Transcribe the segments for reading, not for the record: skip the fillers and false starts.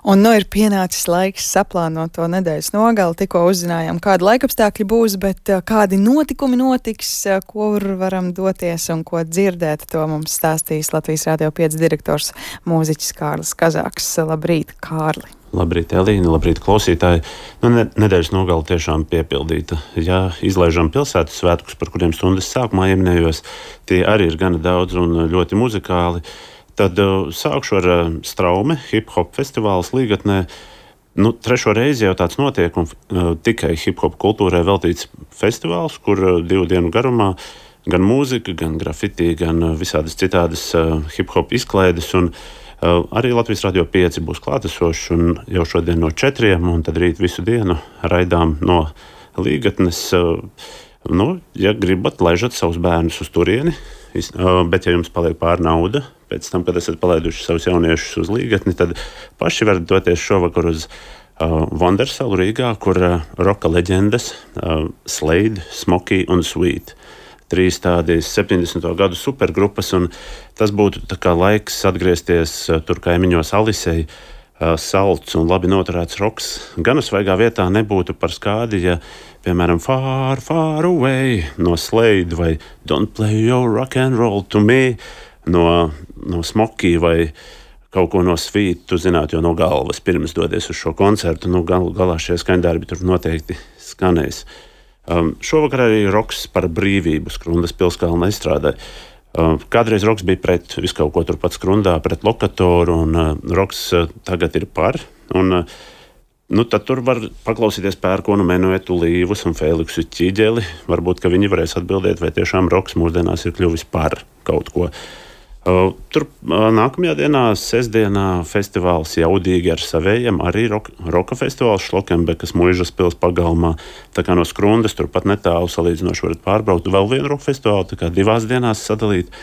Un ir pienācis laiks saplānot to nedēļas nogali. Tikko uzzinājām, kāda laikapstākļi būs, bet kādi notikumi notiks, kur varam doties un ko dzirdēt, to mums stāstīs Latvijas Rādio 5 direktors mūziķis Kārlis Kazāks. Labrīt, Kārli! Labrīt, Elīna, labrīt, klausītāji. Nedēļas nogale tiešām piepildīta. Ja izlaižam pilsētas svētkus, par kuriem stundas sākumā ieminējos, tie arī ir gana daudz un ļoti muzikāli. Tad sākšu ar Straume, hip-hop festivāls Līgatnē. Trešo reizi jau tāds notiek, un tikai hip-hop kultūrai veltīts festivāls, kur 2 dienu garumā gan mūzika, gan grafiti, gan visādas citādas hip-hop izklaides. Un arī Latvijas Rādio 5 būs klātesošs, un jau šodien no 4, un tad rīt visu dienu raidām no Līgatnes. Ja gribat, laižat savus bērnus uz turieni, bet ja jums paliek pāri nauda, pēc tam, kad esat palaiduši savus jauniešus uz Līgatni, tad paši varat doties šovakar uz Vondersalu Rīgā, kur roka leģendas Slade, Smokey un Sweet. 3 tādas 70. gadu supergrupas, un tas būtu tā kā laiks atgriezties tur kaimiņos Alisei, salds un labi noturēts roks. Gan svaigā vietā nebūtu par skādi, ja, piemēram, Far, Far Away no Slade vai Don't Play Your Rock and Roll to Me no Smokey vai kaut ko no Sweet, tu zinātu jau no galvas pirms dodies uz šo koncertu. Galā šie skaņdarbi tur noteikti skanēs. Šovakar arī roks par brīvību Skrundas pilskalna izstrādē. Kādreiz roks bija pret visu kaut ko turpat Skrundā, pret lokatoru, un roks tagad ir par. Tad tur var paklausīties Pērkonu, Menuetu, Līvus un Feliksu Ķīģeli. Varbūt, ka viņi varēs atbildēt, vai tiešām roks mūsdienās ir kļuvis par kaut ko. Tur nākamajā dienā, sestdienā, festivāls Jaudīgi ar savējiem, arī roka festivāls Šlokenbekas Muižas pils pagalmā. Tā kā no Skrundas turpat netālu salīdzinoši varat pārbraukt vēl vienu roka festivālu, tā kā 2 dienās sadalīt,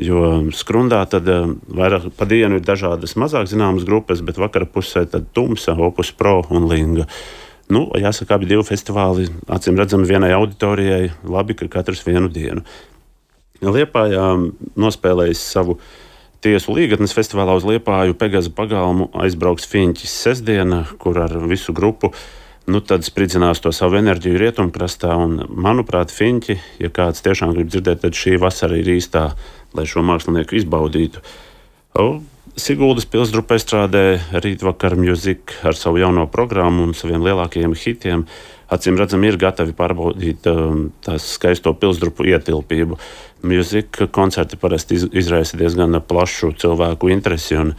jo Skrundā tad vairāk pa dienu ir dažādas mazāk zināmas grupas, bet vakara pusē tad Tumsa, Opus Pro un Linga. Jāsaka, abi 2 festivāli, acīm redzami vienai auditorijai, labi, ka katrs vienu dienu. Liepājā nospēlējis savu tiesu Līgatnes festivālā uz Liepāju Pegaza pagalmu aizbrauks Fiņķis sestdiena, kur ar visu grupu tad spridzinās to savu enerģiju rietumkrastā. Un, manuprāt, Fiņķi, ja kāds tiešām grib dzirdēt, tad šī vasara ir īstā, lai šo mākslinieku izbaudītu. Siguldas pilsdrupa strādē rītvakar Music ar savu jauno programmu un saviem lielākajiem hitiem. Acīm redzami ir gatavi pārbaudīt tās skaisto pilsdrupu ietilpību. Music koncerti parasti izraisa diezgan plašu cilvēku interesi, un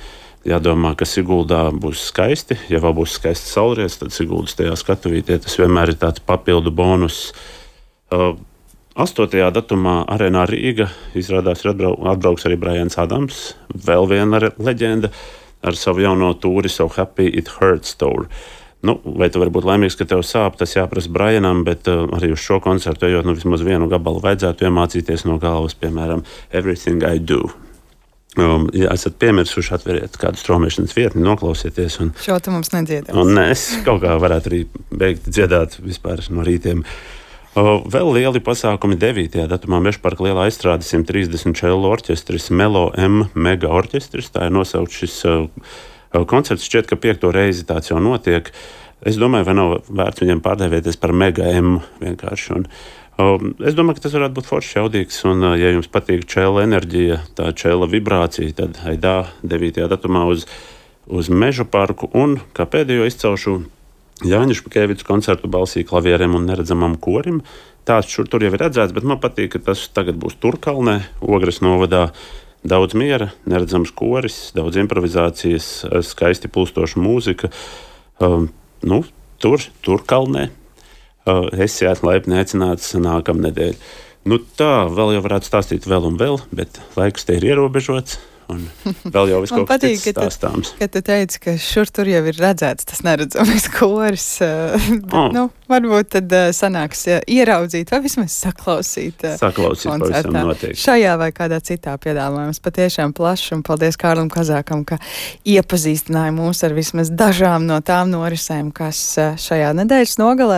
jādomā, ka Siguldā būs skaisti. Ja vēl būs skaisti saulrietis, tad Siguldas tajā skatuvītē tas vienmēr ir tāds papildu bonus. 8. datumā Arēnā Rīga izrādās atbrauks arī Brians Adams, vēl viena leģenda ar savu jauno tūri So Happy It Hurts Tour. Vai tu vari būt laimīgs, ka tev sāp, tas jāprasa Brianam, bet arī uz šo koncertu ejot, vismaz vienu gabalu vajadzētu iemācīties no galvas, piemēram, Everything I Do. Ja esat piemirsuši, atveriet kādu straumēšanas vietni, noklausieties. Šo tu mums nedziedās. Es kaut kā varētu arī beigt dziedāt vispār no rītiem. Vēl lieli pasākumi 9. datumā Mežparka lielā aizstrāde 130 čello orķestris Melo M Mega orķestris. Tā ir nosaukt šis koncerts, šķiet, ka 5. reizi tāds jau notiek. Es domāju, vai nav vērts viņiem pārdēvēties par Mega M vienkārši. Es domāju, ka tas varētu būt forši jaudīgs, un ja jums patīk čela enerģija, tā čela vibrācija, tad aidā 9. datumā uz Mežu parku, un kā pēdējo izcelšu Jāņa Špakēvica koncertu balsī klavieriem un neredzamam korim. Tāds šur tur jau ir redzēts, bet man patīk, ka tas tagad būs Turkalnē, Ogres novadā. Daudz miera, neredzams koris, daudz improvizācijas, skaisti plūstoša mūzika. Turkalnē. Esiet laipni aicināts nākamnedēļ. Tā vēl jau varētu stāstīt vēl un vēl, bet laiks te ir ierobežots. Un vēl jau viss kaut kas cits stāstāms. Ka tu teici, ka šur tur jau ir redzēts tas neredzamais koris. Varbūt tad sanāks ieraudzīt vai vismaz saklausīt pavisam noteikti. Šajā vai kādā citā piedāvājums patiešām plašs, un paldies Kārlim Kazākam, ka iepazīstināja mūs ar vismaz dažām no tām norisēm, kas šajā nedēļas nogalē.